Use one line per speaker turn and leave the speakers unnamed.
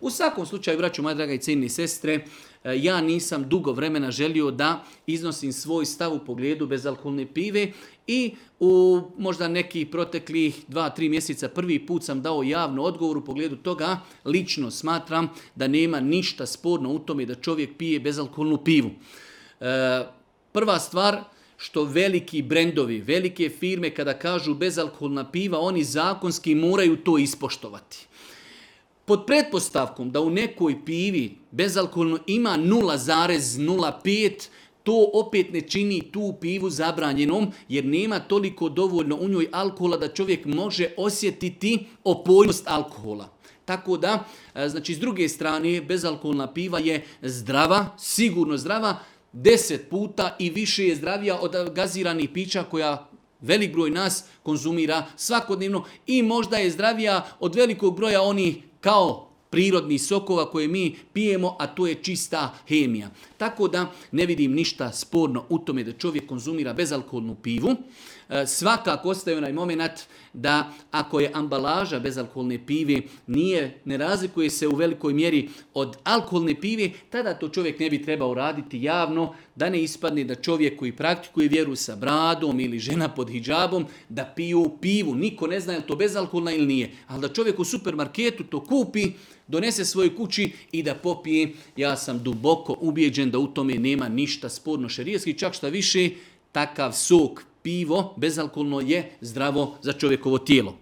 U svakom slučaju, braćo moja draga i cijenjeni sestre, ja nisam dugo vremena želio da iznosim svoj stav u pogledu bezalkoholne pive i u možda nekih proteklih 2-3 mjeseca prvi put sam dao javno odgovor u pogledu toga. Lično smatram da nema ništa sporno u tome da čovjek pije bezalkoholnu pivu. Prva stvar, što veliki brendovi, velike firme kada kažu bezalkoholna piva, oni zakonski moraju to ispoštovati. Pod pretpostavkom da u nekoj pivi bezalkoholno ima 0,05, to opet ne čini tu pivu zabranjenom, jer nema toliko dovoljno u njoj alkohola da čovjek može osjetiti opojnost alkohola. Tako da, znači s druge strane, bezalkoholna piva je zdrava, sigurno zdrava, 10 puta i više je zdravija od gaziranih pića koja velik broj nas konzumira svakodnevno i možda je zdravija od velikog broja onih kao prirodnih sokova koje mi pijemo, a to je čista hemija. Tako da ne vidim ništa sporno u tome da čovjek konzumira bezalkoholnu pivu. Svakako ostaje onaj moment da ako je ambalaža bezalkoholne pive ne razlikuje se u velikoj mjeri od alkoholne pive, tada to čovjek ne bi trebao raditi javno, da ne ispadne da čovjek koji praktikuje vjeru sa bradom ili žena pod hidžabom da piju pivu. Niko ne zna je li to bezalkoholna ili nije. Ali da čovjek u supermarketu to kupi, donese svojoj kući i da popije, ja sam duboko ubijeđen da u tome nema ništa sporno šerijatski, čak šta više, takav sok, pivo bezalkoholno je zdravo za čovjekovo tijelo.